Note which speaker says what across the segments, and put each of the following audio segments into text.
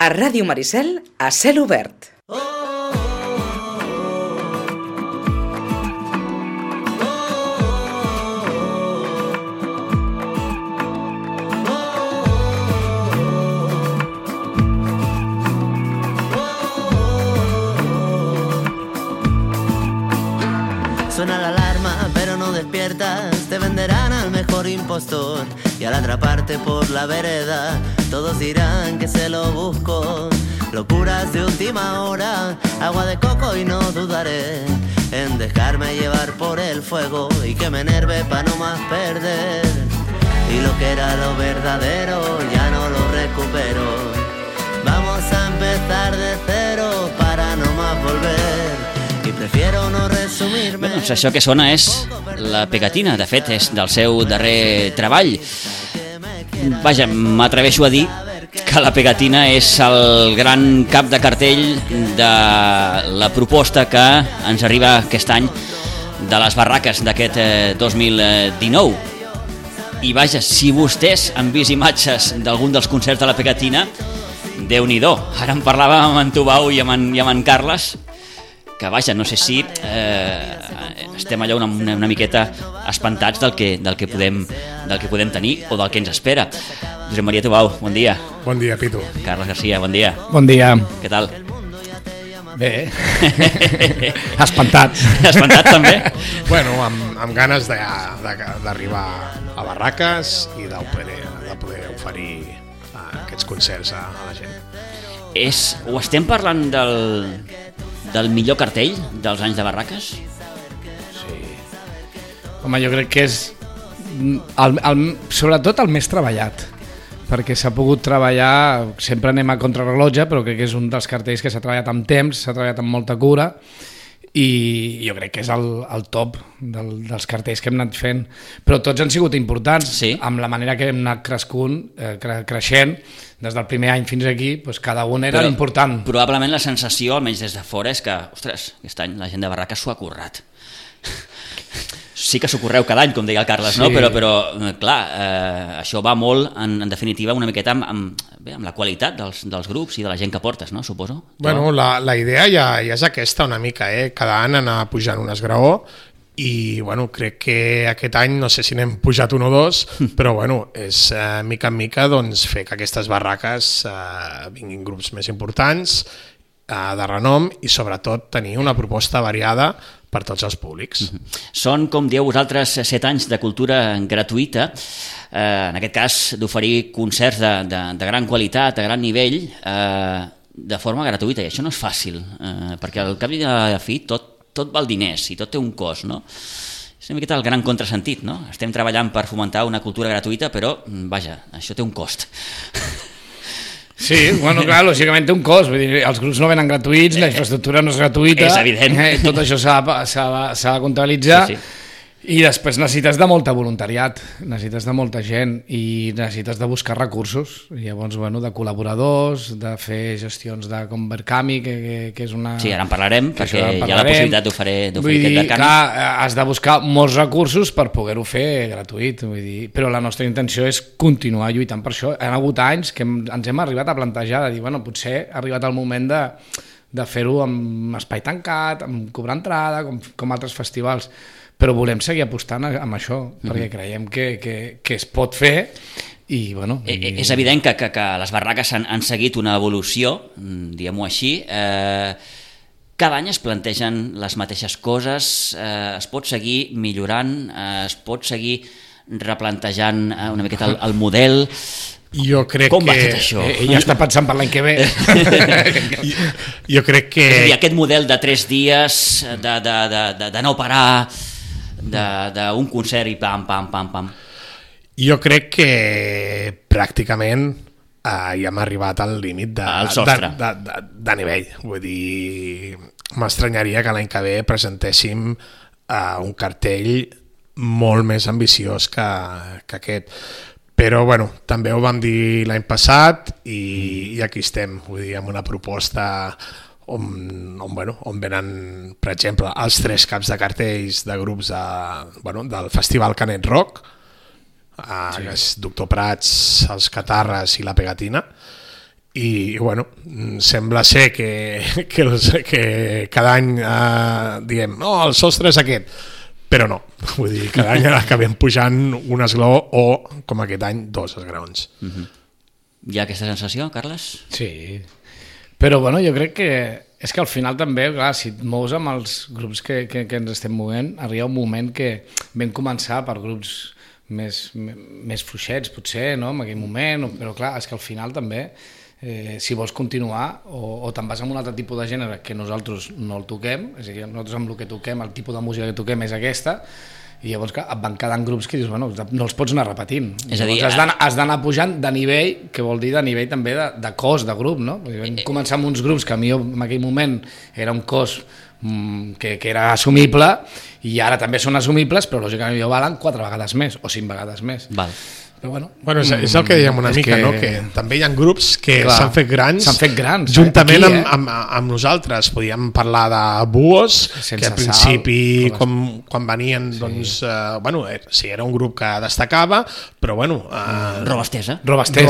Speaker 1: A Ràdio Maricel, a cel obert.
Speaker 2: Suena la alarma, pero no despiertas. Te venderán al mejor impostor. Y al atraparte por la vereda, todos dirán que se lo busco. Locuras de última hora, agua de coco y no dudaré en dejarme llevar por el fuego y que me enerve pa' no más perder. Y lo que era lo verdadero ya no lo recupero. Vamos a empezar de cero para no más volver. I prefiero no resumir-me.
Speaker 3: Bé, doncs això que sona és La Pegatina, de fet és del seu darrer treball. Vaja, m'atreveixo a dir que La Pegatina és el gran cap de cartell de la proposta que ens arriba aquest any de les barraques d'aquest 2019. I vaja, si vostès han vist imatges d'algun dels concerts de La Pegatina, Déu-n'hi-do. Ara en parlàvem amb en Tubau i amb en Carles, que vaja, no sé si estem allà una miqueta espantats del que podem tenir o del que ens espera. Josep Maria Tubau, bon dia.
Speaker 4: Bon dia, Pitu.
Speaker 3: Carles Garcia, bon dia.
Speaker 5: Bon dia.
Speaker 3: Què tal?
Speaker 5: Bé. Espantat.
Speaker 3: Espantat també?
Speaker 4: Bueno, amb ganes d'arribar a barraques i de poder oferir aquests concerts a la gent.
Speaker 3: Ho estem parlant del millor cartell dels anys de barraques?
Speaker 5: Sí. Home, jo crec que és sobretot el més treballat, perquè s'ha pogut treballar, sempre anem a contrarrellotge, però crec que és un dels cartells que s'ha treballat amb temps, s'ha treballat amb molta cura, i jo crec que és el top dels cartells que hem anat fent, però tots han sigut importants,
Speaker 3: sí.
Speaker 5: Amb la manera que hem anat creixent, des del primer any fins aquí, doncs cada un era important.
Speaker 3: Probablement la sensació, almenys des de fora, és que, ostres, aquest any la gent de barraques s'ho ha currat. Sí que s'ho correu cada any, com deia el Carles, sí. No? Però clar, això va molt, en definitiva, una miqueta amb la qualitat dels grups i de la gent que portes, no? Suposo.
Speaker 4: Bueno, la idea ja és aquesta una mica, cada any anar pujant un esgraó i bueno, crec que aquest any no sé si n'hem pujat un o dos, però bueno, és mica en mica doncs, fer que aquestes barraques vinguin grups més importants, de renom i sobretot tenir una proposta variada per tots els públics.
Speaker 3: Són, com dieu vosaltres, 7 anys de cultura gratuïta, en aquest cas d'oferir concerts de gran qualitat, de gran nivell, de forma gratuïta, i això no és fàcil, perquè al cap i a la fi tot val diners i tot té un cost, no? És una miqueta el gran contrasentit, no? Estem treballant per fomentar una cultura gratuïta, però, vaja, això té un cost.
Speaker 5: Sí, bueno, clar, lògicament té un cost, vull dir, els grups no venen gratuïts, la infraestructura no és gratuïta,
Speaker 3: és evident.
Speaker 5: Tot això s'ha de comptabilitzar, sí. I després necessites de molta voluntariat, necessites de molta gent i necessites de buscar recursos, i llavors, bueno, de col·laboradors, de fer gestions de com Verkami, que és una...
Speaker 3: Sí, ara en parlarem, perquè hi ha la possibilitat d'oferir aquest Verkami.
Speaker 5: Clar, has de buscar molts recursos per poder-ho fer gratuït, vull dir, però la nostra intenció és continuar lluitant per això. Han hagut anys que ens hem arribat a plantejar, de dir, bueno, potser ha arribat el moment de fer-ho amb espai tancat, amb cobrar entrada, com altres festivals, però volem seguir apostant amb això, perquè creiem que es pot fer i, bueno...
Speaker 3: És evident que les barraques han seguit una evolució, diguem-ho així. Cada any es plantegen les mateixes coses, es pot seguir millorant, es pot seguir replantejant una miqueta el model...
Speaker 4: Jo crec
Speaker 3: com va tot això?
Speaker 5: Ja està pensant per l'any que ve.
Speaker 4: Jo crec que...
Speaker 3: És a dir, aquest model de 3 dies, de no parar, d'un concert i pam, pam, pam, pam.
Speaker 4: Jo crec que pràcticament ja hem arribat al límit de nivell. Vull dir, m'estranyaria que l'any que ve presentéssim un cartell molt més ambiciós que aquest. Però bueno, també ho vam dir l'any passat i aquí estem, vull dir, amb una proposta on venen, per exemple, els 3 caps de cartells de grups del Festival Canet Rock, que és Doctor Prats, els Catarres i La Pegatina, i bueno, sembla ser que cada any diem, no, el sostre és aquest, però no, vull dir, cada any acabem pujant un esglaó o, com aquest any, 2 esglaons.
Speaker 3: Hi ha aquesta sensació, Carles?
Speaker 5: Sí, però bueno, jo crec que és que al final també, clar, si et mous amb els grups que ens estem movent, arriba un moment que vam començar per grups més fluixets, potser, no?, en aquell moment, però clar, és que al final també, si vols continuar o te'n vas amb un altre tipus de gènere que nosaltres no el toquem, és a dir, nosaltres amb el que toquem, el tipus de música que toquem és aquesta, i llavors et van quedant grups que dius, bueno, no els pots anar repetint.
Speaker 3: És a dir,
Speaker 5: has d'anar pujant de nivell, que vol dir de nivell també de cos de grup, no? Vam començar amb uns grups que a mi en aquell moment era un cos que era assumible, i ara també són assumibles, però lògicament valen 4 vegades més o 5 vegades més.
Speaker 3: Val.
Speaker 5: Però bueno,
Speaker 4: és el que dèiem una mica, no? Que també hi ha grups que s'han fet grans juntament amb nosaltres. Podíem parlar de Buos, que al principi quan venien doncs, bueno, sí, era un grup que destacava, però bueno,
Speaker 3: Robastesa
Speaker 4: potser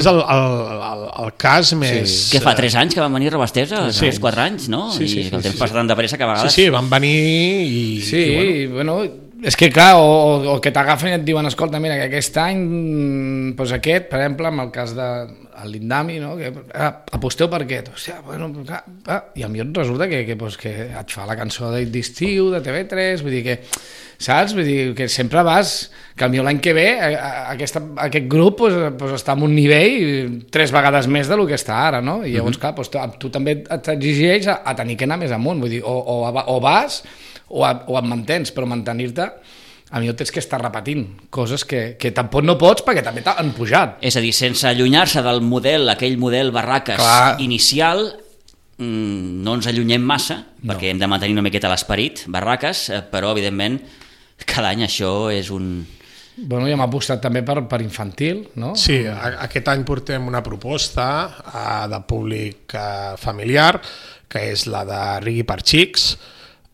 Speaker 4: és el cas més...
Speaker 3: Que fa 3 anys que van venir Robastesa, 4 anys, no? I el temps passa tan de pressa que a vegades...
Speaker 4: Sí, van venir i...
Speaker 5: Sí, bueno, és que clar, o que t'agafen i et diuen, escolta, mira, que aquest any doncs aquest, per exemple, en el cas de l'Indami, no? Que aposteu per aquest, hòstia, bueno, clar, i a mi resulta que et fa la cançó d'estiu de TV3, vull dir que, saps? Vull dir que sempre vas, que potser l'any que ve aquest grup està en un nivell 3 vegades més del que està ara, no? I llavors, clar, tu també t'exigeix a tenir que anar més amunt, vull dir, o vas o et mantens, però mantenir-te a mi tens que estar repetint coses que tampoc no pots perquè també t'han pujat.
Speaker 3: És a dir, sense allunyar-se del model, aquell model Barraques inicial, no ens allunyem massa, perquè hem de mantenir una miqueta l'esperit Barraques, però evidentment cada any això és un...
Speaker 5: Bueno, ja m'ha apostat també per infantil, no?
Speaker 4: Sí, aquest any portem una proposta de públic familiar, que és la de Rigui per Xics,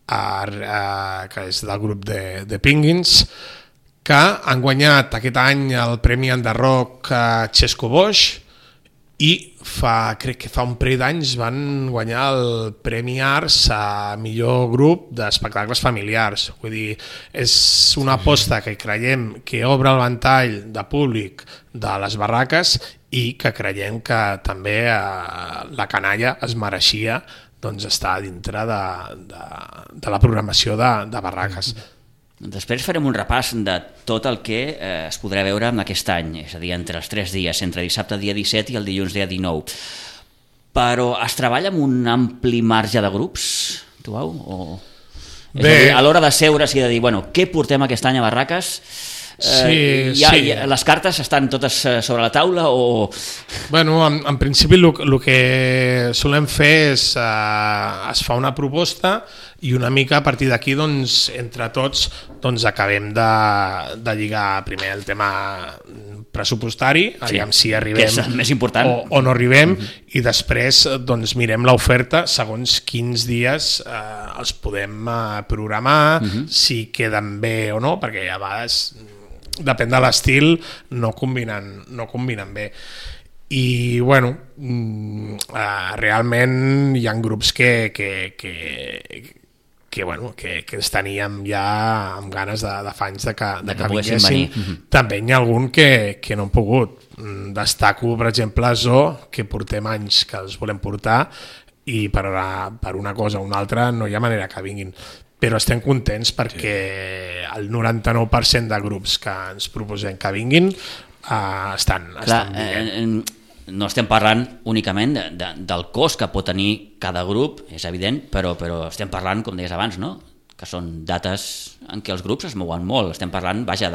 Speaker 4: que és del grup de Penguins, que han guanyat aquest any el Premi Enderrock Xesco Boix, i crec que fa un parell d'anys van guanyar el Premi Arts a millor grup d'espectacles familiars. Vull dir, és una aposta que creiem que obre el ventall de públic de les barraques i que creiem que també la canalla es mereixia doncs està dintre de la programació de barraques.
Speaker 3: Després farem un repàs de tot el que es podrà veure en aquest any, és a dir, entre els 3 dies, entre dissabte dia 17 i el dilluns dia 19. Però es treballa amb un ampli marge de grups, Tubau? És a dir, a l'hora de seure's i de dir, bueno, què portem aquest any a Barraques? Sí. Les cartes estan totes sobre la taula o...
Speaker 4: Bueno, en principi el que solem fer és es fa una proposta i una mica a partir d'aquí doncs, entre tots doncs, acabem de lligar primer el tema pressupostari, aviam si arribem
Speaker 3: que és el més important.
Speaker 4: O no arribem, i després doncs, mirem l'oferta segons quins dies els podem programar, si queden bé o no, perquè a vegades depèn de l'estil, no combinen bé. I bueno, realment hi ha grups que ens teníem ja amb ganes de fa anys de que vinguessin. També hi ha algun que no han pogut. Destaco, per exemple, Zo, que portem anys que els volem portar i per una cosa o una altra no hi ha manera que vinguin. Però estem contents perquè el 99% de grups que ens proposem que vinguin estan bé.
Speaker 3: No estem parlant únicament del cost que pot tenir cada grup, és evident, però estem parlant, com deies abans, no? Que són dates en què els grups es mouen molt. Estem parlant, vaja,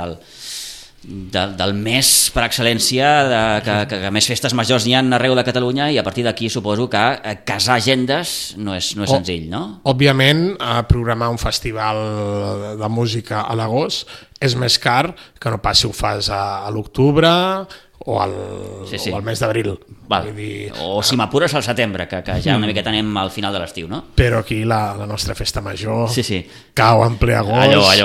Speaker 3: del mes per excel·lència, que més festes majors n'hi ha arreu de Catalunya, i a partir d'aquí suposo que casar agendes no és senzill, no?
Speaker 4: Òbviament, programar un festival de música a l'agost és més car que no pas si ho fas a l'octubre o al mes d'abril.
Speaker 3: O si m'apures al setembre, que ja una miqueta anem al final de l'estiu, no?
Speaker 4: Però aquí la nostra festa major cau en ple agost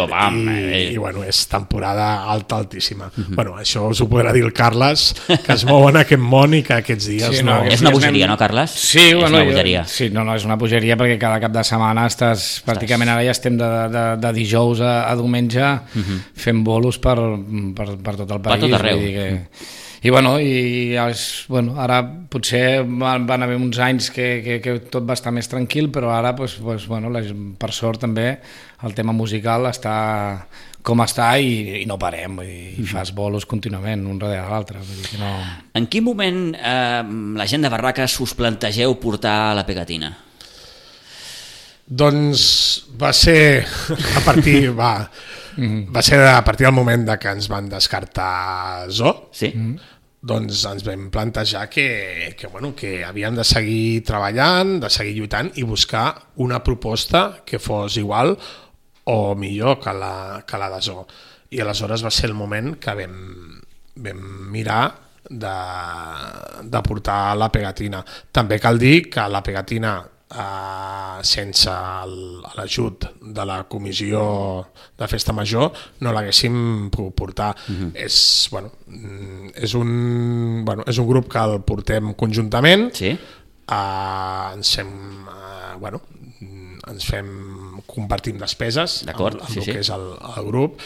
Speaker 4: i bueno, és temporada altíssima. Bueno, això us ho podrà dir el Carles, que es mou en aquest món i que aquests dies no...
Speaker 3: És una bogeria, no, Carles?
Speaker 5: Sí,
Speaker 3: és una bogeria.
Speaker 5: Sí, no, és una bogeria perquè cada cap de setmana estàs pràcticament, ara ja estem de dijous a diumenge fent bolos per tot el país.
Speaker 3: Per tot arreu.
Speaker 5: Ara potser van haver uns anys que tot va estar més tranquil, però ara, per sort també, el tema musical està com està i no parem, i fas bolos contínuament, un darrere l'altre. No...
Speaker 3: En quin moment la gent de Barraques us plantegeu portar la pegatina?
Speaker 4: Doncs va ser a partir del moment que ens van descartar Zoo.
Speaker 3: Sí.
Speaker 4: Doncs ens vam plantejar que havíem de seguir treballant, de seguir lluitant i buscar una proposta que fos igual o millor que la de Zoo. I aleshores va ser el moment que vam mirar de portar la pegatina. També cal dir que la pegatina, sense l'ajut de la comissió de festa major, no l'haguéssim pogut portar. És un grup que el portem conjuntament. Compartim despeses amb el que és el grup,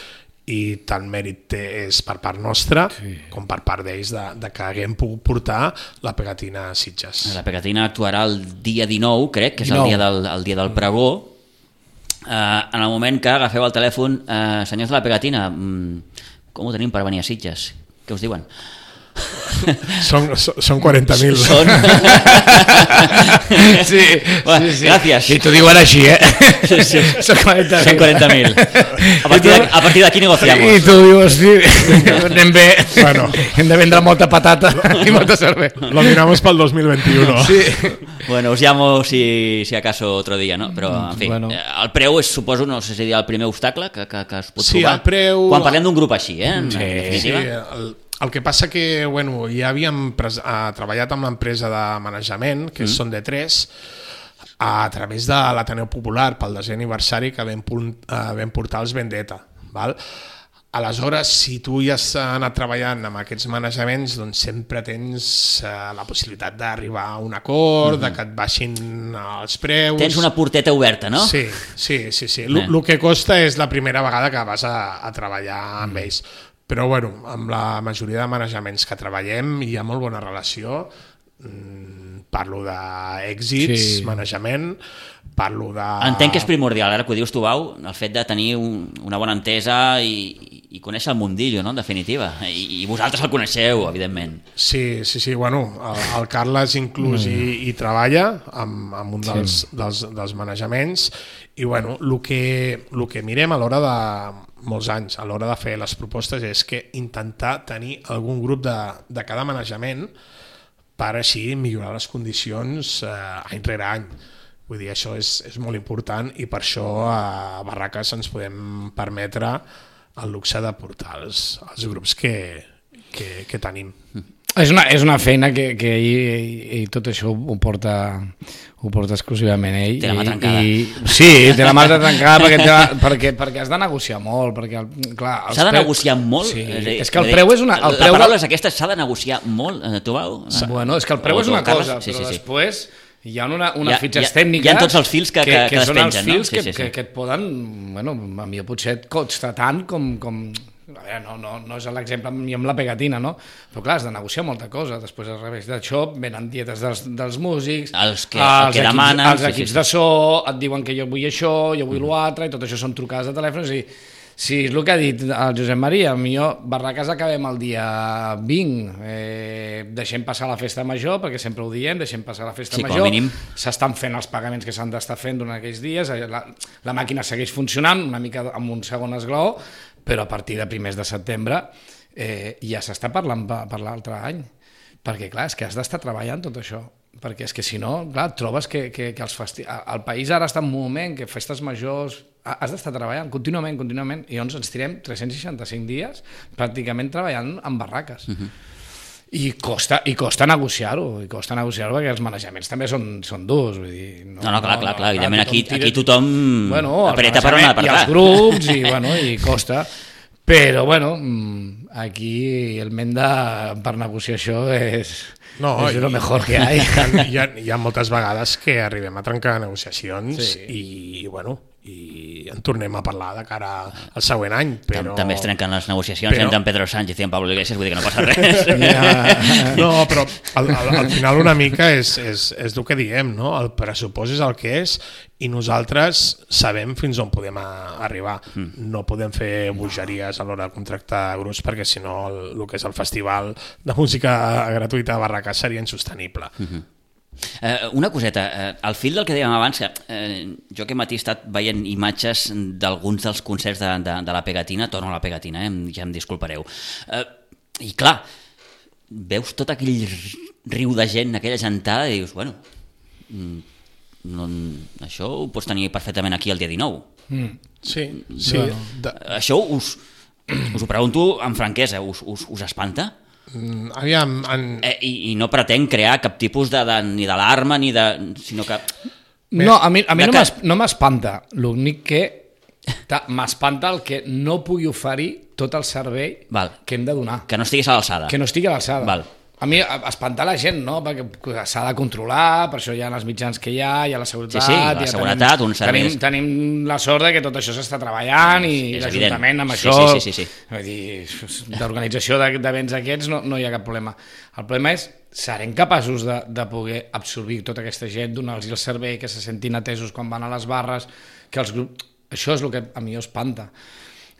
Speaker 4: i tant mèrit és per part nostra com per part d'ells de que haguem pogut portar la pegatina a Sitges.
Speaker 3: La pegatina actuarà el dia 19, crec, que és el dia del pregó. En el moment que agafeu el telèfon, senyors de la pegatina, com ho tenim per venir a Sitges? Què us diuen?
Speaker 4: Són 40.000.
Speaker 5: Sí.
Speaker 3: Gràcies.
Speaker 5: I t'ho diuen així,
Speaker 3: Són 40.000. A partir d'aquí negociamos.
Speaker 5: I tu dius, anem bé. Hem de vendre molta patata i molta cervesa.
Speaker 4: Lo miramos pel 2021.
Speaker 5: Sí.
Speaker 3: Bueno, os llamo si acaso otro día, ¿no? Però, en fi, el preu és, suposo, no sé si dir el primer obstacle que es pot trobar.
Speaker 4: Sí, el preu...
Speaker 3: Quan parlem d'un grup així, en definitiva.
Speaker 4: El que passa que ja havíem treballat amb l'empresa de manejament, que són de 3, a través de l'Ateneu Popular pel 10è aniversari que vam portar els Vendetta. Aleshores, si tu ja has anat treballant amb aquests manejaments, doncs sempre tens la possibilitat d'arribar a un acord, de que et baixin els preus...
Speaker 3: Tens una porteta oberta, no?
Speaker 4: Sí. El que costa és la primera vegada que vas a treballar amb ells. Però amb la majoria de manejaments que treballem hi ha molt bona relació. Parlo d'èxits, manejament, parlo de...
Speaker 3: Entenc que és primordial, ara que ho dius tu, Bau, el fet de tenir una bona entesa i conèixer el mundillo, no?, en definitiva. I vosaltres el coneixeu, evidentment.
Speaker 4: Sí. El Carles inclús hi treballa amb un dels manejaments, i el que mirem a l'hora de... molts anys, a l'hora de fer les propostes, és que intentar tenir algun grup de cada manejament per així millorar les condicions any rere any. Vull dir, això és molt important, i per això a Barraques ens podem permetre el luxe de portar els grups que tenim.
Speaker 5: És una feina que ell tot això ho porta exclusivament ell.
Speaker 3: Té la mà trencada.
Speaker 5: Sí, té la mà trencada perquè has de negociar molt.
Speaker 3: S'ha de negociar molt?
Speaker 5: Sí, és que el preu és una...
Speaker 3: La paraula és aquesta, s'ha de negociar molt, tu, Bau?
Speaker 5: Bueno, és que el preu és una cosa, però després hi ha unes fitxes tècniques...
Speaker 3: Hi ha tots els fils que despengen,
Speaker 5: són els fils que et poden... Bueno, a mi potser et costa tant com... A veure, no és l'exemple ni amb la pegatina, no? Però clar, has de negociar molta cosa. Després, al revés d'això, venen dietes dels músics,
Speaker 3: els que demanen...
Speaker 5: Els equips de so et diuen que jo vull això, jo vull l'altre, i tot això són trucades de telèfon. Sí, és el que ha dit el Josep Maria. Barraques acabem el dia 20. Deixem passar la festa major, perquè sempre ho diem, deixem passar la festa major. S'estan fent els pagaments que s'han d'estar fent durant aquells dies. La màquina segueix funcionant, una mica amb un segon esglaó, però a partir de primers de setembre ja s'està parlant per l'altre any, perquè clar, és que has d'estar treballant tot això, perquè és que si no, clar, trobes que el país ara està en un moment que festes majors has d'estar treballant contínuament, i llavors ens tirem 365 dies pràcticament treballant en barraques. I costa negociar-ho, perquè els manejaments també són durs, vull dir...
Speaker 3: Clar, evidentment aquí tothom apreta per on ha d'apretar.
Speaker 5: I els grups, i costa, però, aquí el menda per negociar això és el millor que hi ha.
Speaker 4: Hi ha moltes vegades que arribem a trencar negociacions i en tornem a parlar de cara al següent any, però...
Speaker 3: També es trenquen les negociacions entre en Pedro Sánchez i en Pablo Iglesias, vull dir que no passa res.
Speaker 4: No, però al final una mica és el que diem, no? El pressupost és el que és i nosaltres sabem fins on podem arribar. No podem fer bogeries a l'hora de contractar grups perquè si no el que és el festival de música gratuïta de Barracàs seria insostenible.
Speaker 3: Una coseta, al fil del que dèiem abans, jo aquest matí he estat veient imatges d'alguns dels concerts de la Pegatina, torno a la Pegatina, ja em disculpareu, i clar, veus tot aquell riu de gent, aquella gentada, i dius, això ho pots tenir perfectament aquí el dia 19.
Speaker 4: Sí.
Speaker 3: Això us ho pregunto amb franquesa, us espanta?
Speaker 4: Aviam...
Speaker 3: I no pretenc crear cap tipus ni d'alarma, sinó que...
Speaker 5: No, a mi no m'espanta. L'únic que m'espanta el que no pugui oferir tot el servei que hem de donar.
Speaker 3: Que no estiguis a l'alçada.
Speaker 5: Que no estigui a l'alçada. A mi espantar la gent, no? Perquè s'ha de controlar, per això hi ha els mitjans que hi ha la seguretat...
Speaker 3: Sí, la seguretat, uns serveis...
Speaker 5: Tenim la sort que tot això s'està treballant i l'Ajuntament amb això...
Speaker 3: Sí.
Speaker 5: Vull dir, d'organització d'events aquests no hi ha cap problema. El problema és, serem capaços de poder absorbir tota aquesta gent, donar-los el servei, que se sentin atesos quan van a les barres, que els grups... Això és el que a mi espanta.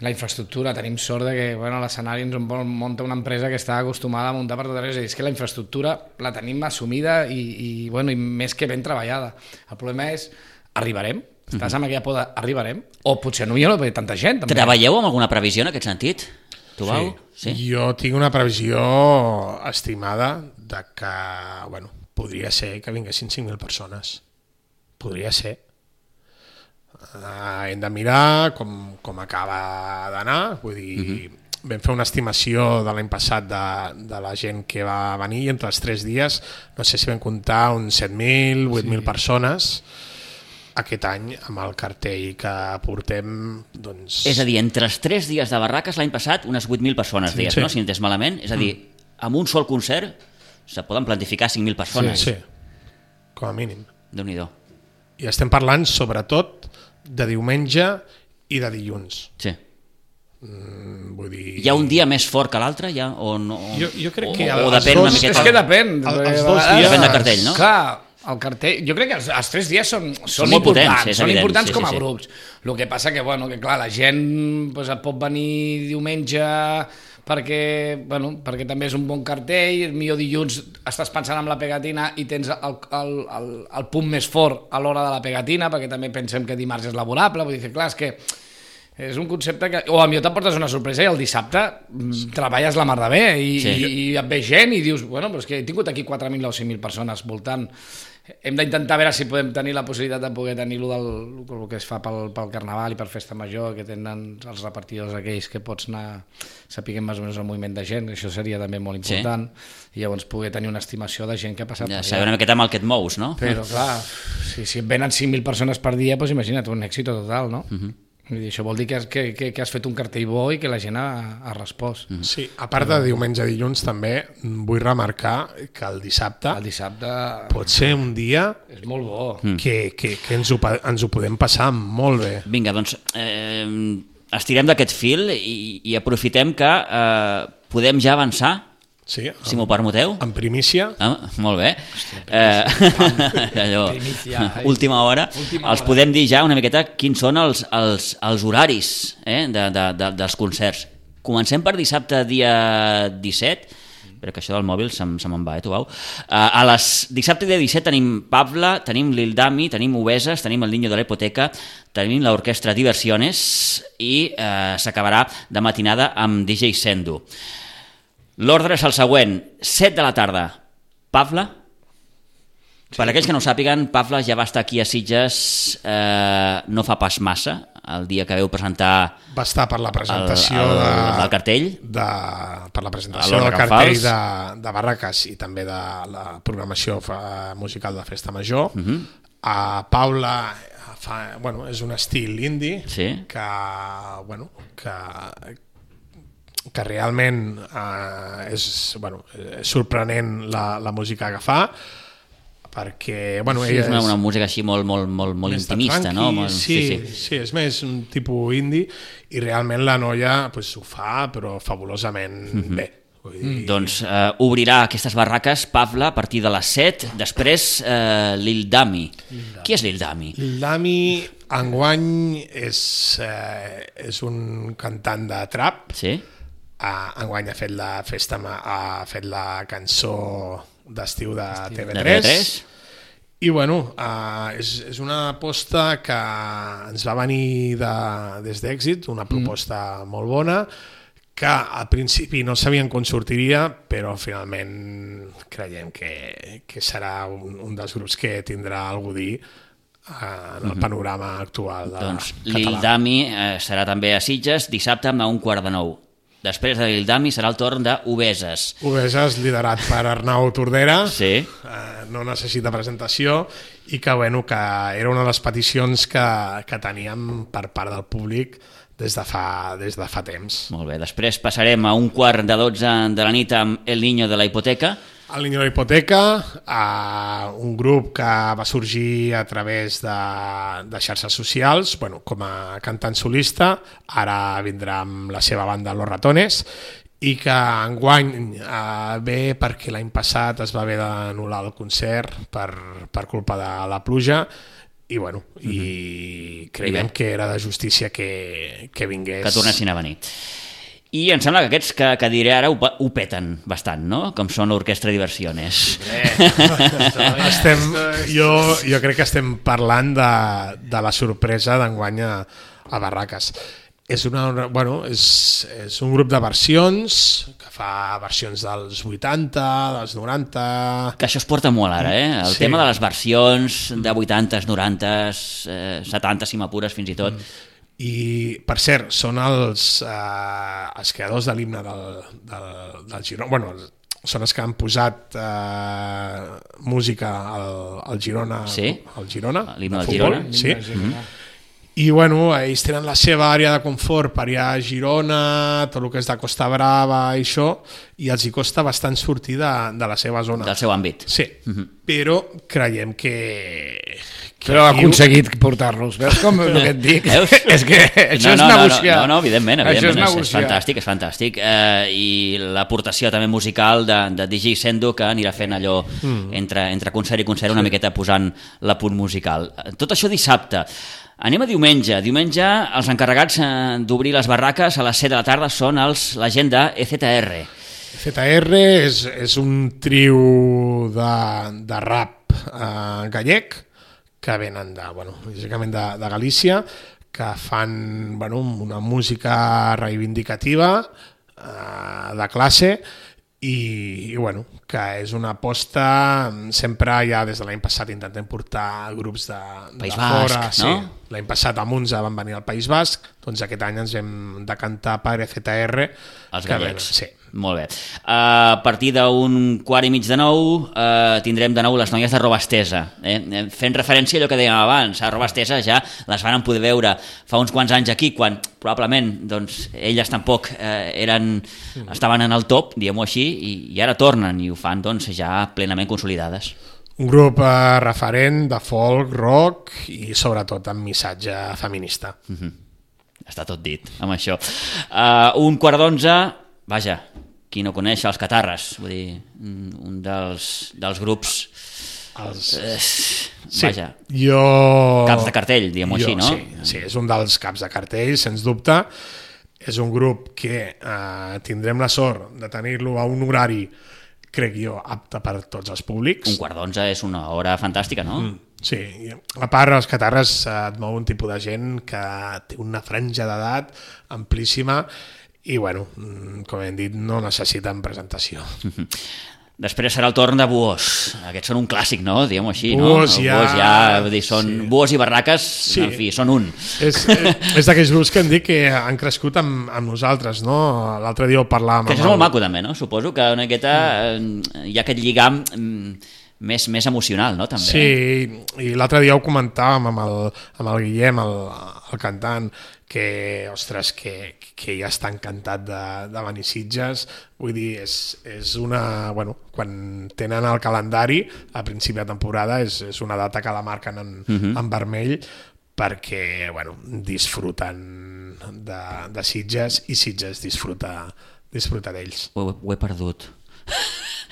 Speaker 5: La infraestructura, tenim sort de que l'escenari ens munta una empresa que està acostumada a muntar per tot arreu, és que la infraestructura la tenim assumida i més que ben treballada. El problema és, arribarem? Estàs amb aquella por arribarem? O potser no hi ha tanta gent. També.
Speaker 3: Treballeu amb alguna previsió en aquest sentit? Tu, Bau?
Speaker 4: Sí. Jo tinc una previsió estimada de que, podria ser que vinguessin 5.000 persones. Podria ser. Hem de mirar com acaba d'anar, vull dir, vam fer una estimació de l'any passat de la gent que va venir i entre els 3 dies, no sé si vam comptar uns 7.000, 8.000 persones. Aquest any, amb el cartell que portem, doncs...
Speaker 3: És a dir, entre els 3 dies de Barraques l'any passat, unes 8.000 persones, deies, no? Si no entès malament. És a dir, amb un sol concert se poden plantificar 5.000 persones.
Speaker 4: Sí, com a mínim.
Speaker 3: Déu-n'hi-do.
Speaker 4: I estem parlant, sobretot, de diumenge i de dilluns.
Speaker 3: Sí.
Speaker 4: Vull dir...
Speaker 3: Hi ha un dia més fort que l'altre, ja? O no?
Speaker 4: Jo crec que...
Speaker 3: O depèn una miqueta...
Speaker 5: És que depèn.
Speaker 4: Els 2 dies...
Speaker 3: Depèn del cartell, no?
Speaker 5: Clar, el cartell... Jo crec que els 3 dies són importants. Són importants com a grups. El que passa que clar, la gent pot venir diumenge... perquè també és un bon cartell, millor dilluns estàs pensant en la Pegatina i tens el punt més fort a l'hora de la Pegatina, perquè també pensem que dimarts és laborable, vull dir, clar, és que és un concepte que... O potser t'emportes una sorpresa i el dissabte treballes la mar de bé i et ve gent i dius, però és que he tingut aquí 4.000 o 5.000 persones voltant. Hem d'intentar veure si podem tenir la possibilitat de poder tenir-lo del que es fa pel Carnaval i per Festa Major, que tenen els repartidors aquells que pots anar sapiguem més o menys el moviment de gent, això seria també molt important, i llavors poder tenir una estimació de gent que ha passat per allà.
Speaker 3: Saber una miqueta amb el que et mous, no?
Speaker 5: Però clar, si et venen 5.000 persones per dia, doncs imagina't, un èxit total, no? Vull dir, això vol dir que has fet un cartell bo i que la gent ha respost.
Speaker 4: Sí, a part de diumenge i dilluns també vull remarcar que el dissabte pot ser un dia
Speaker 5: és molt bo.
Speaker 4: Que ens ho podem passar molt bé.
Speaker 3: Vinga, doncs estirem d'aquest fil i aprofitem que podem ja avançar.
Speaker 4: Sí,
Speaker 3: si m'ho permeteu.
Speaker 4: En primícia.
Speaker 3: Molt bé. Allò, última hora. Els podem dir ja una miqueta quins són els horaris dels concerts. Comencem per dissabte, dia 17, però que això del mòbil se me'n va, tu vau. Dissabte, dia 17, tenim Pabla, tenim Lil Dami, tenim Obeses, tenim el Niño de la Hipoteca, tenim l'Orquestra Diversiones i s'acabarà de matinada amb DJ Sendo. L'ordre és el següent: 7 de la tarda, Pabla, Per aquells que no ho sàpiguen, Pavla ja va estar aquí a Sitges no fa pas massa, el dia que veu presentar...
Speaker 4: Va estar per la presentació
Speaker 3: del cartell.
Speaker 4: Per la presentació del cartell de Barraques i també de la programació musical de Festa Major. A Paula és un estil indie que realment és sorprenent la música que fa, perquè ella
Speaker 3: és una música així molt intimista, no?
Speaker 4: Sí, és més un tipus indie i realment la noia ho fa però fabulosament bé.
Speaker 3: Doncs obrirà aquestes barraques Pavla a partir de les 7, després Lil Dami. Qui és Lil Dami?
Speaker 4: Lil Dami enguany és un cantant de trap.
Speaker 3: Sí?
Speaker 4: Enguany ha fet la cançó d'estiu de TV3 i és una aposta que ens va venir des d'Èxit, una proposta molt bona que al principi no sabíem com sortiria, però finalment creiem que serà un dels grups que tindrà algú a dir en el panorama actual català.
Speaker 3: Doncs Lil Dami serà també a Sitges dissabte a 8:45. Després de Lil Dami serà el torn d'Obeses.
Speaker 4: Obeses, liderat per Arnau Tordera,
Speaker 3: sí.
Speaker 4: No necessita presentació i que era una de les peticions que teníem per part del públic des de fa temps.
Speaker 3: Molt bé, després passarem a 11:45 de la nit amb El Niño de la Hipoteca.
Speaker 4: El Niño de la Hipoteca, un grup que va sorgir a través de xarxes socials, com a cantant solista, ara vindrà amb la seva banda Los Ratones, i que enguany ve perquè l'any passat es va haver d'anul·lar el concert per culpa de la pluja, i creiem que era de justícia que vingués. Que
Speaker 3: tornessin a venir. I em sembla que aquests que diré ara ho peten bastant, no? Com són l'Orquestra Diversiones.
Speaker 4: Jo crec que estem parlant de la sorpresa d'enguany a Barraques. És un grup de versions que fa versions dels 80, dels 90...
Speaker 3: Que això es porta molt ara, El tema de les versions de 80s, 90s, 70 si m'apures fins i tot.
Speaker 4: I, per cert, són els creadors de l'himne del Girona. Són els que han posat música al Girona.
Speaker 3: Sí?
Speaker 4: Al Girona.
Speaker 3: L'himne del Girona.
Speaker 4: Sí. I ells tenen la seva àrea de confort per allà a Girona, tot el que és de Costa Brava i això, i els hi costa bastant sortir de la seva zona.
Speaker 3: Del seu àmbit.
Speaker 4: Sí, però creiem que
Speaker 5: però ha aconseguit portar-los, veus com el que et dic? És que això és negociar.
Speaker 3: No, evidentment, és fantàstic. I l'aportació també musical de DJ Sendo, que anirà fent allò entre concert i concert una miqueta posant l'apunt musical. Tot això dissabte. Anem a diumenge. Diumenge els encarregats d'obrir les barraques a les 7 de la tarda són la gent de EZR.
Speaker 4: EZR és un trio de rap gallec que venen bàsicament de Galícia, que fan una música reivindicativa de classe i que és una aposta. Sempre ja des de l'any passat intentem portar grups de
Speaker 3: País
Speaker 4: fora.
Speaker 3: Basc, no?
Speaker 4: Sí. L'any passat a Munza van venir al País Basc, doncs aquest any ens hem de cantar per EZR.
Speaker 3: Els gallecs.
Speaker 4: Sí.
Speaker 3: Molt bé. A partir d'8:45 tindrem de nou les noies de Robastesa. Fent referència a allò que dèiem abans, a Robastesa ja les van poder veure fa uns quants anys aquí, quan probablement elles tampoc estaven en el top, diguem-ho així, i ara tornen i ho fan ja plenament consolidades.
Speaker 4: Un grup referent de folk, rock i sobretot amb missatge feminista.
Speaker 3: Està tot dit amb això. 11:45, vaja, qui no coneix els Catarres, vull dir, un dels grups vaja, caps de cartell, diguem-ho així, no?
Speaker 4: Sí, és un dels caps de cartell, sens dubte. És un grup que tindrem la sort de tenir-lo a un horari, crec jo, apte per tots els públics.
Speaker 3: 11:45 és una hora fantàstica, no?
Speaker 4: Sí, a part els Catarres et mou un tipus de gent que té una franja d'edat amplíssima i, com hem dit, no necessiten presentació.
Speaker 3: Després serà el torn de Buós. Aquests són un clàssic, no? Diguem-ho així,
Speaker 4: Buós,
Speaker 3: no?
Speaker 4: ja...
Speaker 3: Buós ja, vull dir, són sí. Buós i Barraques, sí. En fi, són un.
Speaker 4: És d'aquells grups que em dic que han crescut amb nosaltres, no? L'altre dia ho parlàvem...
Speaker 3: Que això és molt maco, també, no? Suposo que una miqueta hi ha aquest lligam més emocional, no? També.
Speaker 4: Sí, i l'altre dia ho comentàvem amb el Guillem, el cantant, que, ostres, que ja està encantat de venir a Sitges. Vull dir, és una... Bueno, quan tenen el calendari, a principi de temporada, és una data que la marquen en vermell, perquè, bueno, disfruten de Sitges i Sitges disfruta d'ells.
Speaker 3: Ho he perdut.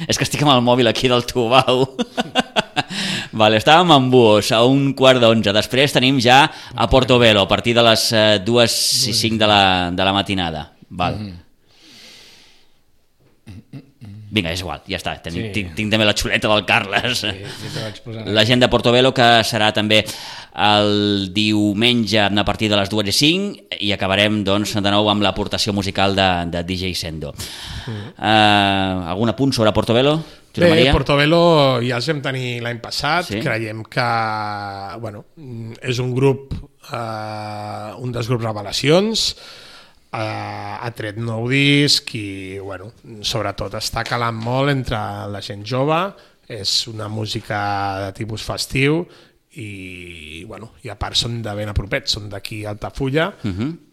Speaker 3: És que estic amb el mòbil aquí del Tubau. Vale, estàvem en Buós a 11:45. Després tenim ja a Portobello a partir de les 2:05 de la matinada. Val. Vinga, és igual, ja està. Tinc també la xuleta del Carles. La gent de Portobello, que serà també el diumenge a partir de les 2:05, i acabarem doncs, de nou amb l'aportació musical de DJ Sendo. Algun apunt sobre Portobello?
Speaker 4: Bé, Portobello ja els vam tenir l'any passat. Sí? Creiem que bueno, és un grup, un dels grups revelacions, ha tret nou disc i bueno, sobretot està calant molt entre la gent jove. És una música de tipus festiu i, bueno, i a part són de ben a propet, són d'aquí a Altafulla,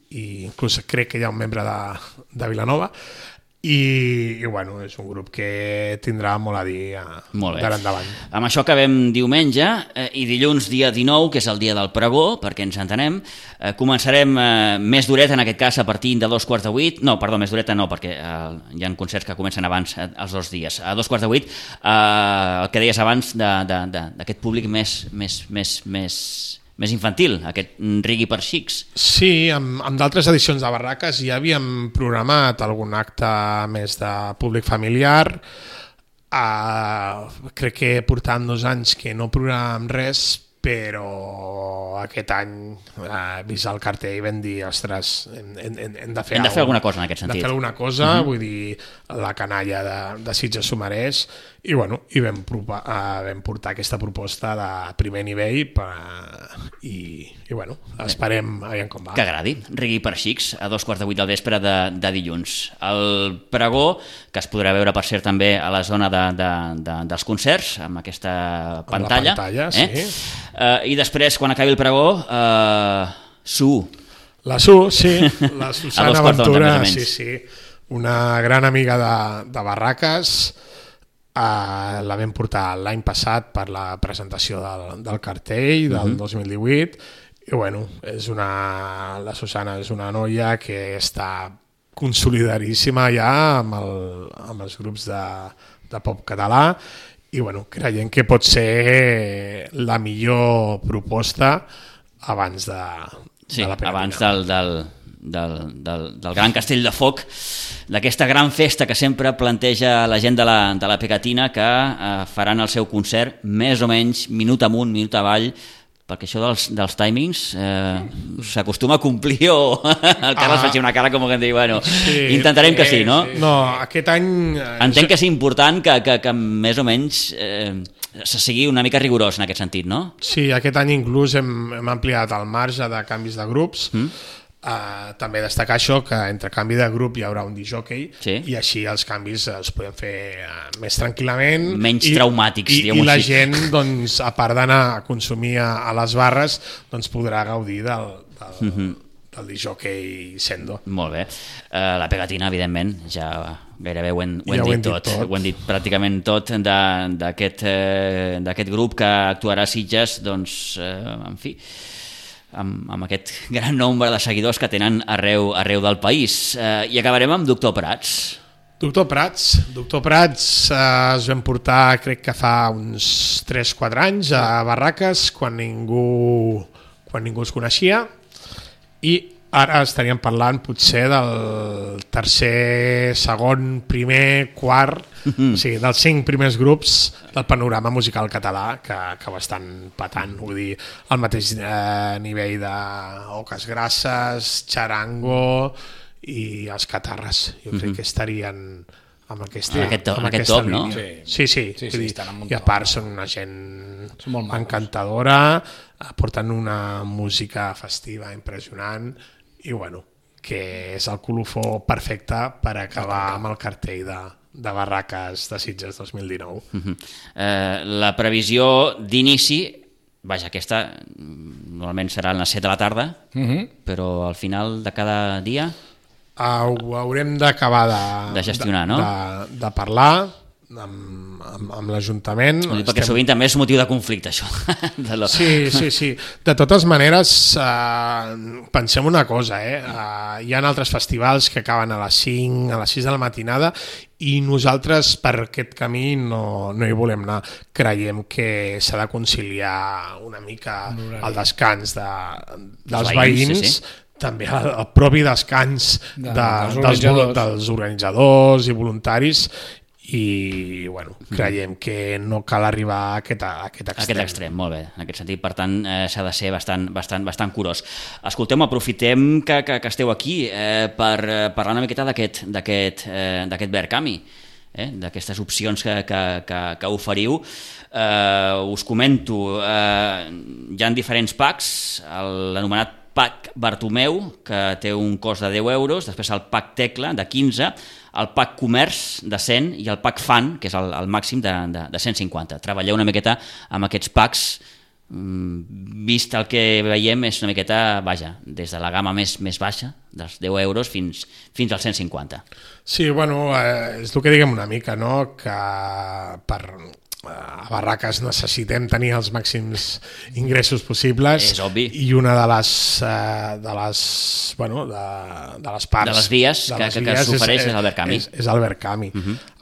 Speaker 4: i inclús crec que hi ha un membre de Vilanova. I bueno, és un grup que tindrà molt a dir d'ara endavant.
Speaker 3: Amb això acabem diumenge, i dilluns dia 19, que és el dia del pregó, perquè ens entenem, començarem més duret, en aquest cas a partir de 7:15. No, perdó, més dureta no, perquè hi ha concerts que comencen abans els 2 dies. A 7:15, el que deies abans d'aquest públic més infantil, aquest rigui per xics.
Speaker 4: Sí, amb d'altres edicions de Barraques ja havíem programat algun acte més de públic familiar. Crec que portàvem 2 anys que no programàvem res, però aquest any, vist el cartell, vam dir, ostres, hem de fer
Speaker 3: alguna cosa en aquest sentit.
Speaker 4: Hem de fer alguna cosa, vull dir, la canalla de Sitges s'ho mereix, i bueno, i vam portar aquesta proposta de primer nivell i bueno, esperem aviam com va.
Speaker 3: Que agradi, rigui per xics a 7:15 del vespre de dilluns. El pregó, que es podrà veure per cert també a la zona dels concerts, amb aquesta pantalla.
Speaker 4: Amb la pantalla, sí.
Speaker 3: I després, quan acabi el pregó, Su.
Speaker 4: La Su, sí, la Susana Ventura, sí, una gran amiga de Barraques. La vam portar l'any passat per la presentació del cartell del 2018, i bueno, la Susana és una noia que està consolidaríssima ja amb els grups de pop català, i bueno, creiem que pot ser la millor proposta abans de la Pegatina.
Speaker 3: Abans del gran castell de foc, d'aquesta gran festa que sempre planteja la gent de la Pegatina, que faran el seu concert més o menys minut amunt, minut avall, perquè això dels timings s'acostuma a complir, o el Carles faig una cara com que em diu, bueno, sí, intentarem que sí, no?
Speaker 4: No, aquest any...
Speaker 3: Entenc que és important que més o menys se sigui una mica rigorós en aquest sentit, no?
Speaker 4: Sí, aquest any inclús hem ampliat el marge de canvis de grups. També destacar això, que entre canvi de grup hi haurà un discjòquei, i així els canvis els podem fer més tranquil·lament,
Speaker 3: menys traumàtics,
Speaker 4: i la gent, doncs, a part d'anar a consumir a les barres, doncs podrà gaudir del discjòquei Sendo.
Speaker 3: Molt bé. La Pegatina, evidentment, ja gairebé ho hem dit tot. Ho hem dit pràcticament tot d'aquest grup que actuarà a Sitges, doncs, en fi, amb aquest gran nombre de seguidors que tenen arreu del país. I acabarem amb Doctor Prats.
Speaker 4: Doctor Prats es vam portar, crec que fa uns 3-4 anys, a Barraques, quan ningú es coneixia, i ara estaríem parlant potser del tercer, segon, primer, quart, o sigui, dels 5 primers grups del panorama musical català que ho estan patant, vull dir, al mateix nivell de Oques Grasses, Charango i els Catarres. Jo crec que estarien
Speaker 3: amb aquest top, no?
Speaker 4: Sí. I a part són una gent encantadora, porten una música festiva impressionant i bueno, que és el colofó perfecte per acabar amb el cartell de Barraques de Sitges 2019.
Speaker 3: La previsió d'inici, vaja, aquesta normalment serà a les 7 de la tarda, però al final de cada dia
Speaker 4: ho haurem d'acabar
Speaker 3: de gestionar, no?
Speaker 4: De parlar amb l'Ajuntament.
Speaker 3: Perquè sovint també és motiu de conflicte, això.
Speaker 4: Sí. De totes maneres, pensem una cosa, hi ha altres festivals que acaben a les 5, a les 6 de la matinada i nosaltres per aquest camí no hi volem anar. Creiem que s'ha de conciliar una mica el descans dels veïns, també el propi descans dels organitzadors i voluntaris i bueno, creiem que no cal arribar a aquest extrem.
Speaker 3: Molt bé, en aquest sentit, per tant, s'ha de ser bastant curós. Escolteu, aprofitem que esteu aquí per parlar una miqueta d'aquest Verkami, d'aquestes opcions que oferiu. Us comento, hi ha diferents packs, l'anomenat Pack Bartomeu, que té un cost de 10 euros, després el Pack Tecla, de 15, el Pack Comerç, de 100, i el Pack Fan, que és el màxim de 150. Treballeu una miqueta amb aquests packs, vist el que veiem és una miqueta, vaja, des de la gamma més baixa, dels 10 euros, fins als 150.
Speaker 4: Sí, bueno, és el que diguem una mica, no?, que a Barraques necessitem tenir els màxims ingressos possibles.
Speaker 3: És obvi.
Speaker 4: I una de les parts...
Speaker 3: De les vies que s'ofereix és el Verkami.
Speaker 4: És el Verkami.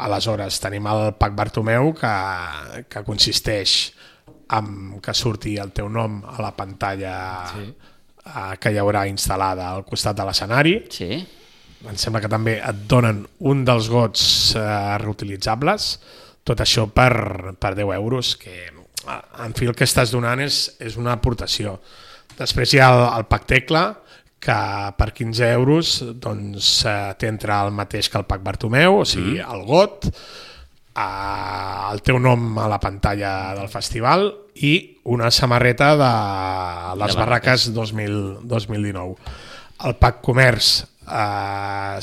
Speaker 4: Aleshores, tenim el Pack Bartomeu, que consisteix en que surti el teu nom a la pantalla que hi haurà instal·lada al costat de l'escenari.
Speaker 3: Sí.
Speaker 4: Em sembla que també et donen un dels gots reutilitzables. Tot això per 10 euros, que en fi el que estàs donant és una aportació. Després hi ha el Pack Tecla, que per 15 euros doncs, t'entra el mateix que el Pack Bartomeu, o sigui, el got, el teu nom a la pantalla del festival i una samarreta de les Barraques 2019. El Pack Comerç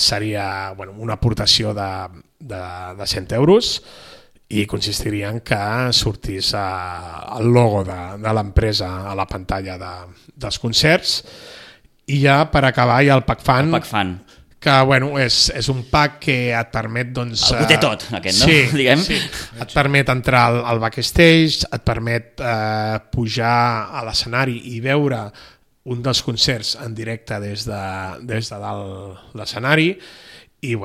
Speaker 4: seria una aportació de 100 euros, i consistiria en que sortís el logo de l'empresa a la pantalla dels concerts. I ja per acabar hi ha el Pack Fan, que és un pack que et permet...
Speaker 3: Algú té tot, aquest, no?
Speaker 4: Sí, et permet entrar al backstage, et permet pujar a l'escenari i veure un dels concerts en directe des de dalt l'escenari. I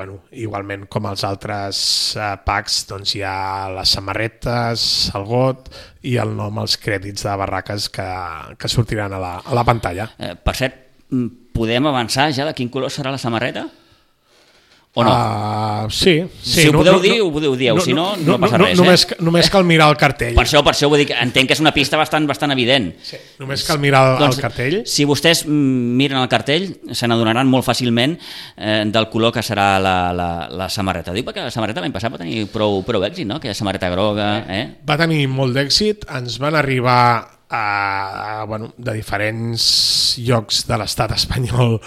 Speaker 4: igualment com els altres packs hi ha les samarretes, el got i el nom, els crèdits de Barraques que sortiran a la pantalla.
Speaker 3: Per cert, podem avançar ja de quin color serà la samarreta? O no?
Speaker 4: Sí.
Speaker 3: Si ho podeu dir, ho podeu dir, si no passa res.
Speaker 4: Només cal mirar el cartell.
Speaker 3: Per això vull dir que entenc que és una pista bastant evident.
Speaker 4: Sí, només cal mirar el cartell.
Speaker 3: Si vostès miren el cartell, se n'adonaran molt fàcilment del color que serà la samarreta. Dic perquè la samarreta l'any passat va tenir prou èxit, no? Aquella samarreta groga.
Speaker 4: Va tenir molt d'èxit, ens van arribar de diferents llocs de l'estat espanyol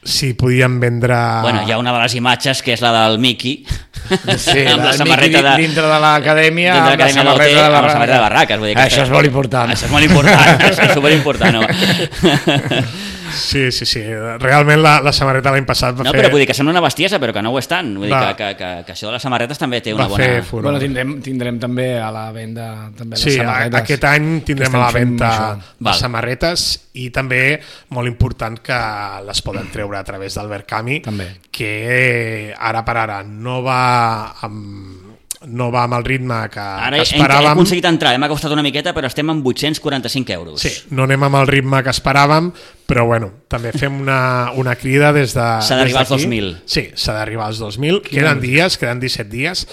Speaker 4: si podien vendre...
Speaker 3: Hi ha una de les imatges que és la del Miqui,
Speaker 5: amb la samarreta dintre de l'acadèmia, amb la samarreta
Speaker 3: de Barraques.
Speaker 5: Això és molt important.
Speaker 3: Això és molt important, és superimportant.
Speaker 4: Sí. Realment la samarreta l'any passat va fer...
Speaker 3: No, però vull dir que sembla una bestiesa, però que no ho és tant. Vull dir que això de les samarretes també té una bona...
Speaker 5: Tindrem també a la venda les
Speaker 4: samarretes. Aquest any tindrem a la venda les samarretes i també molt important que les poden treure a través del Verkami, que ara per ara no va amb el ritme que esperàvem.
Speaker 3: Ara hem aconseguit entrar, m'ha costat una miqueta, però estem amb 845 euros.
Speaker 4: Sí, no anem amb el ritme que esperàvem, però també fem una crida des d'aquí.
Speaker 3: S'ha d'arribar als 2.000.
Speaker 4: Sí, s'ha d'arribar als 2.000. Queden 17 dies,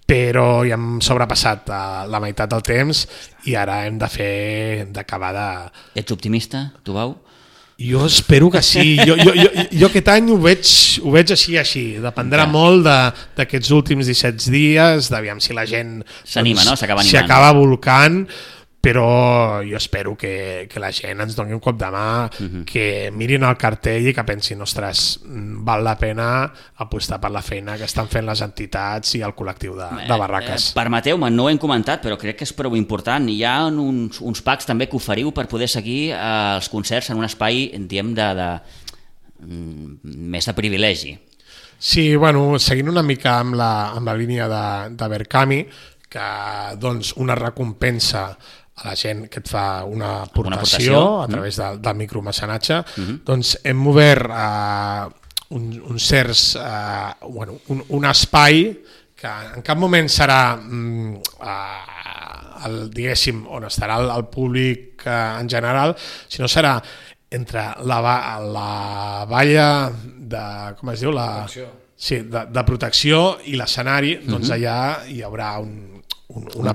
Speaker 4: però ja hem sobrepassat la meitat del temps i ara hem d'acabar de...
Speaker 3: Ets optimista, tu, Bau?
Speaker 4: Jo espero que sí. Jo aquest any ho veig així. Dependrà molt d'aquests últims 17 dies, d'aviam si la gent
Speaker 3: s'anima, no? S'acaba animant.
Speaker 4: S'acaba volcant, però jo espero que la gent ens doni un cop de mà, que mirin el cartell i que pensin, ostres, val la pena apostar per la feina que estan fent les entitats i el col·lectiu de barraques.
Speaker 3: Permeteu-me, no ho hem comentat, però crec que és prou important. Hi ha uns packs també que oferiu per poder seguir els concerts en un espai, diguem, més de privilegi.
Speaker 4: Sí, bueno, seguint una mica amb la línia de Berkami, que doncs una recompensa a la gent que et fa una aportació a través del micromecenatge, doncs hem obert un espai que en cap moment serà diguéssim on estarà el públic en general, sinó serà entre la valla de, com es diu? De protecció i l'escenari, doncs allà hi haurà un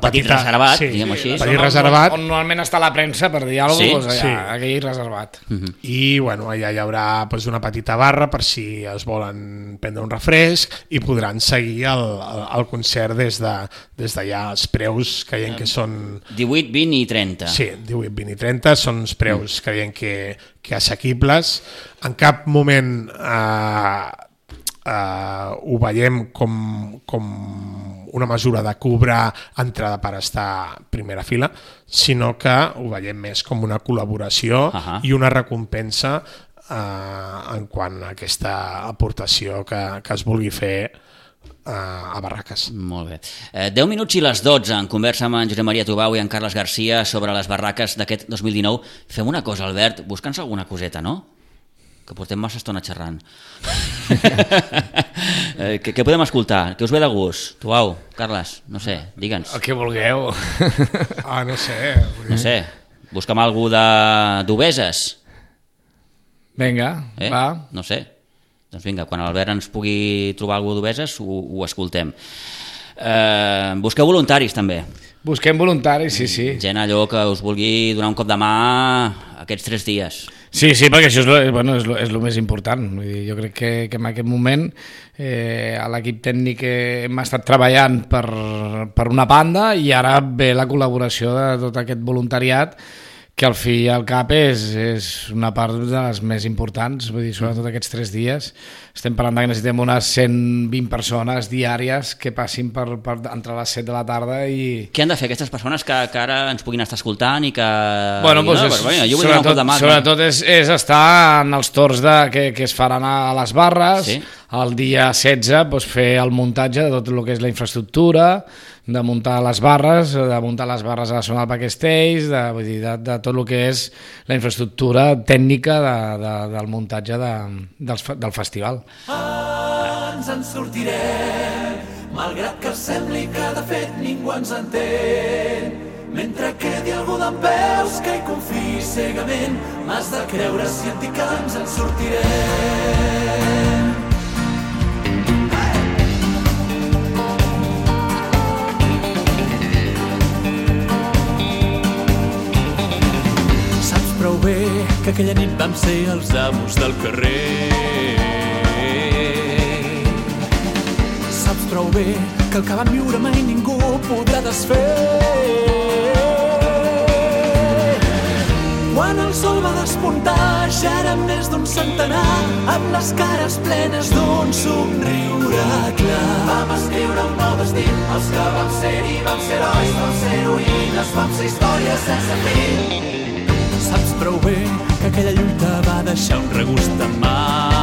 Speaker 4: petit
Speaker 3: reservat, diguem així.
Speaker 4: Petit reservat.
Speaker 5: On normalment està la premsa, per dir alguna cosa, doncs allà, aquell reservat.
Speaker 4: I bueno, allà hi haurà una petita barra per si es volen prendre un refresc i podran seguir el concert des d'allà. Els preus creiem que són...
Speaker 3: 18, 20 i 30.
Speaker 4: Sí, 18, 20 i 30 són uns preus creiem que assequibles. En cap moment ho veiem com una mesura de cobrar entrada per estar a primera fila, sinó que ho veiem més com una col·laboració i una recompensa en quant a aquesta aportació que es vulgui fer a Barraques.
Speaker 3: Molt bé. 10 minuts i les 12 en conversa amb en Josep Maria Tubau i en Carles Garcia sobre les barraques d'aquest 2019. Fem una cosa, Albert, busca'ns alguna coseta, no? Que portem massa estona xerrant. Què podem escoltar? Què us ve de gust? Tubau, Carles, no sé, digue'ns.
Speaker 5: El que vulgueu.
Speaker 4: No sé.
Speaker 3: No sé, busca'm algú d'Obeses.
Speaker 5: Vinga, va.
Speaker 3: No sé. Doncs vinga, quan l'Albert ens pugui trobar algú d'Obeses ho escoltem. Busqueu voluntaris també.
Speaker 5: Busquem voluntaris, sí.
Speaker 3: Gent allò que us vulgui donar un cop de mà aquests 3 dies.
Speaker 5: Sí, perquè això és el més important. Vull dir, jo crec que en aquest moment a l'equip tècnic hem estat treballant per una banda i ara ve la col·laboració de tot aquest voluntariat que al fi i al cap és una part de les més importants, vull dir, sobretot aquests 3 dies. Estem parlant que necessitem unes 120 persones diàries que passin per entre les 7 de la tarda i...
Speaker 3: Què han de fer aquestes persones que ara ens puguin estar escoltant i que...
Speaker 5: Sobretot és estar en els torns que es faran a les barres, el dia 16 fer el muntatge de tot el que és la infraestructura, de muntar les barres a la zona del backstage, de tot el que és la infraestructura tècnica del muntatge del festival.
Speaker 6: Ens en sortirem, malgrat que sembli que de fet ningú ens entén. Mentre quedi algú dempeus que hi confiï cegament, m'has de creure si et dic que ens en sortirem. Prou bé que aquella nit vam ser els amos del carrer. Saps prou bé que el que vam viure mai ningú podrà desfer. Quan el sol va despuntar ja érem més d'un centenar, amb les cares plenes d'un somriure clar. Vam escriure un nou destí, els que vam ser-hi vam ser herois, vam ser heroïnes, vam ser històries sense fi. Saps prou bé que aquella lluita va deixar un regust amarg.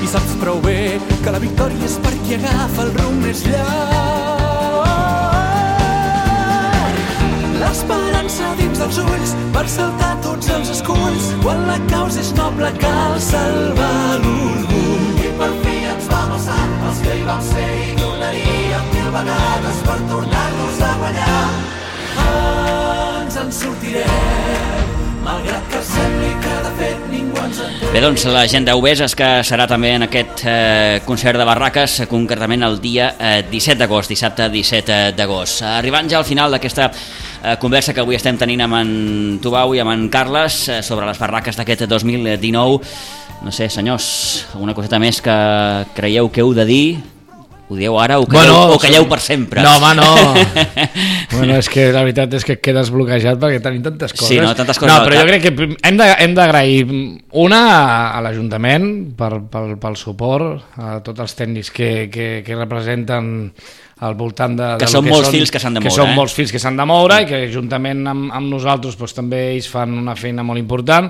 Speaker 6: I saps prou bé que la victòria és per qui agafa el rumb més llarg. L'esperança dins dels ulls per saltar tots els esculls. Quan la causa és noble cal salvar l'orgull. I per fi ens vam alçar, els que hi vam ser i tornaríem 1000 vegades per tornar-nos a guanyar. Ens en sortirem, malgrat que sembli que de fet ningú ens entén.
Speaker 3: Bé, doncs la gent d'Obeses, que serà també en aquest concert de Barraques, concretament el dia 17 d'agost, dissabte 17 d'agost. Arribant ja al final d'aquesta conversa que avui estem tenint amb en Tubau i amb en Carles sobre les Barraques d'aquest 2019. No sé, senyors, alguna coseta més que creieu que heu de dir? Ho dieu ara o calleu per sempre?
Speaker 5: No, home, no. Bueno, és que la veritat és que quedes bloquejat perquè tenim tantes coses.
Speaker 3: Sí, no, tantes coses.
Speaker 5: No, però jo crec que hem d'agrair una a l'Ajuntament pel suport, a tots els tècnics que representen al voltant de
Speaker 3: que són molts fils que s'han de moure.
Speaker 5: Que són molts fils que s'han de moure i que juntament amb nosaltres doncs, també ells fan una feina molt important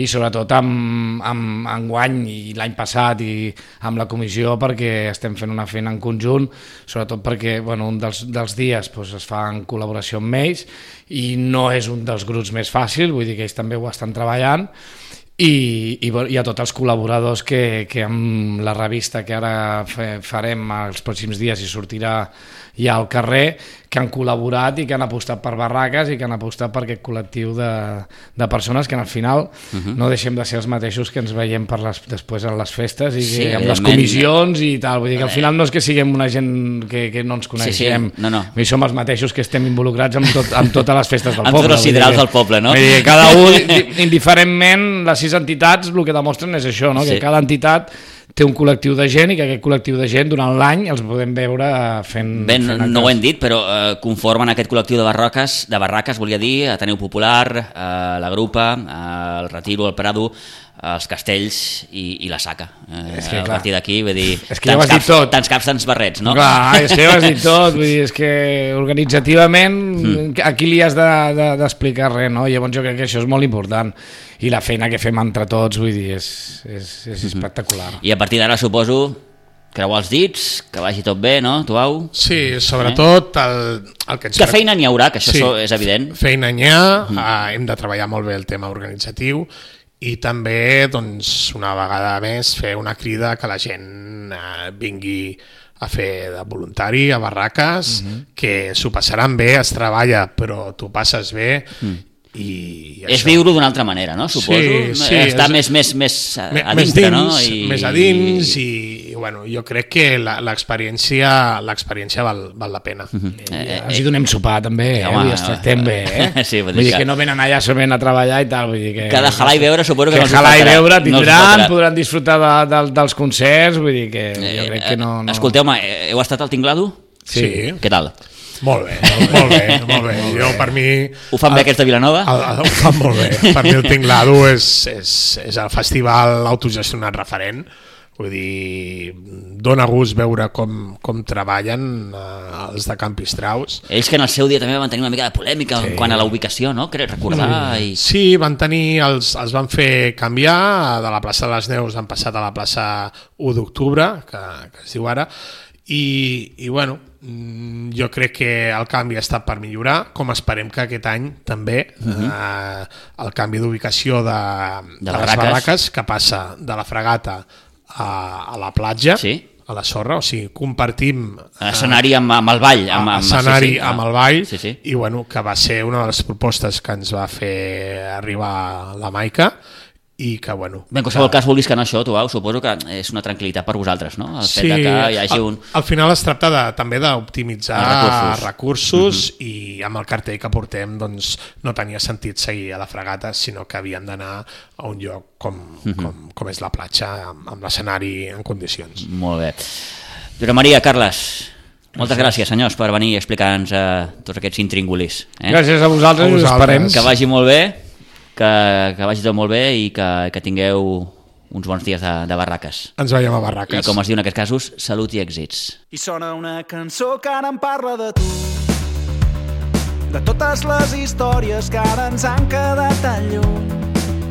Speaker 5: i sobretot amb enguany i l'any passat i amb la comissió perquè estem fent una feina en conjunt, sobretot perquè bueno, un dels dies doncs, es fa en col·laboració amb ells i no és un dels grups més fàcils, vull dir que ells també ho estan treballant i a tots els col·laboradors que amb la revista que ara farem els pròxims dies i sortirà ja al carrer, que han col·laborat i que han apostat per Barraques i que han apostat per aquest col·lectiu de persones que al final no deixem de ser els mateixos que ens veiem després a les festes i amb les comissions i tal, vull dir que al final no és que siguem una gent que no ens coneixem,
Speaker 3: no.
Speaker 5: Som els mateixos que estem involucrats amb totes les festes del poble.
Speaker 3: Amb tots els siderals del poble, no?
Speaker 5: Vull dir, cada un, indiferentment, les 6 entitats el que demostren és això, no? Que cada entitat té un col·lectiu de gent i que aquest col·lectiu de gent durant l'any els podem veure fent...
Speaker 3: Bé, no ho hem dit, però conformen aquest col·lectiu de Barraques, volia dir, Ateneu Popular, la Grupa, el Retiro, el Prado, els Castells i la Saca. A partir d'aquí, vull dir, tants caps, tants barrets, no?
Speaker 5: Clar, és que ja ho has dit tot, vull dir, és que organitzativament aquí li has d'explicar res, no? Llavors jo crec que això és molt important i la feina que fem entre tots, vull dir, és espectacular.
Speaker 3: I a partir d'ara suposo creuar els dits, que vagi tot bé, no, Tubau?
Speaker 4: Sí, sobretot el que ens...
Speaker 3: Que feina n'hi haurà, que això és evident.
Speaker 4: Feina n'hi ha, hem de treballar molt bé el tema organitzatiu i també, doncs, una vegada més, fer una crida que la gent vingui a fer de voluntari a Barraques, que s'ho passaran bé, es treballa, però t'ho passes bé i
Speaker 3: és viure d'una altra manera, no? Suposo.
Speaker 4: Sí,
Speaker 3: està més a dintre, no?
Speaker 4: Més a dins i bueno, jo crec que l'experiència val la pena.
Speaker 5: Ens hi donem sopar també, i es tractem bé,
Speaker 3: Sí,
Speaker 5: vull dir que no venen allà solament a treballar i tal, vull dir que...
Speaker 3: Cada jalar i veure suposo que no els
Speaker 5: jalar i veure tindran, podran disfrutar dels concerts, vull dir que jo crec que no...
Speaker 3: Escolteu-me, heu estat al Tinglado?
Speaker 4: Sí.
Speaker 3: Què tal?
Speaker 4: Molt bé. Jo, per mi...
Speaker 3: Ho fan bé aquests de Vilanova?
Speaker 4: Ho fan molt bé. Per mi el Tinglado és el festival autogestionat referent. Vull dir, dona gust veure com treballen els de Campistraus.
Speaker 3: Ells que en el seu dia també van tenir una mica de polèmica quant a la ubicació, no? Crec recordar.
Speaker 4: Sí, van tenir, els van fer canviar, de la plaça de les Neus han passat a la plaça 1 d'octubre, que es diu ara, i bueno, jo crec que el canvi ha estat per millorar, com esperem que aquest any també el canvi d'ubicació de les Barraques, que passa de la Fregata a la platja, a la sorra, o sigui, compartim
Speaker 3: escenari amb el ball,
Speaker 4: escenari amb el ball, i bueno, que va ser una de les propostes que ens va fer arribar la Maica, i que bueno...
Speaker 3: Bé, en qualsevol cas vulguis que no això, Tubau, suposo que és una tranquil·litat per vosaltres, no? El fet que hi hagi un...
Speaker 4: Al final es tracta també d'optimitzar recursos i amb el cartell que portem doncs no tenia sentit seguir a la Fregata, sinó que havien d'anar a un lloc com és la platja, amb l'escenari en condicions.
Speaker 3: Molt bé. Josep Maria, Carles, moltes gràcies, senyors, per venir i explicar-nos tots aquests intríngulis.
Speaker 5: Gràcies a vosaltres, us esperem.
Speaker 3: Que vagi molt bé. Que vagi tot molt bé i que tingueu uns bons dies de Barraques.
Speaker 4: Ens veiem a Barraques.
Speaker 3: I com es diu en aquests casos, salut i èxits.
Speaker 6: I sona una cançó que ara em parla de tu, de totes les històries que ara ens han quedat tan lluny.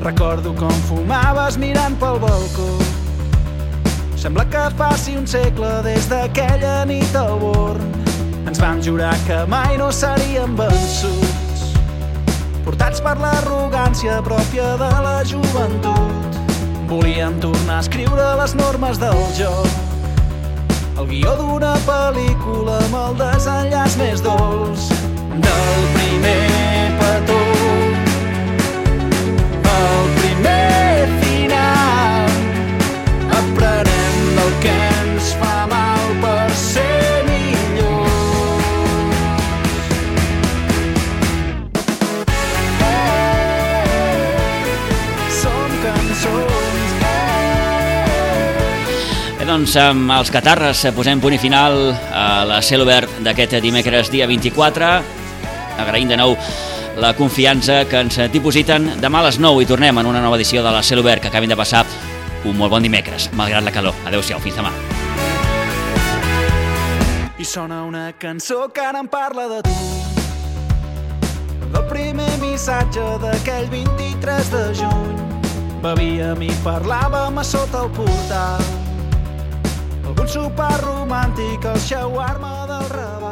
Speaker 6: Recordo com fumaves mirant pel balcó, sembla que faci un segle des d'aquella nit al Born. Ens vam jurar que mai no seríem vençuts, portats per l'arrogància pròpia de la joventut. Volíem tornar a escriure les normes del joc, el guió d'una pel·lícula amb el desenllaç més dolç. Del primer petó, el primer final,
Speaker 3: doncs amb els Catarres posem punt i final a la Cel Obert d'aquest dimecres dia 24. Agraïm de nou la confiança que ens dipositen. Demà a les 9 i tornem en una nova edició de la Cel Obert, que acabin de passar un molt bon dimecres, malgrat la calor. Adéu-siau, fins demà.
Speaker 6: I sona una cançó que ara em parla de tu, del primer missatge d'aquell 23 de juny. Bevíem i parlàvem a sota el portal, algun sopar romàntic al shawarma del Raval.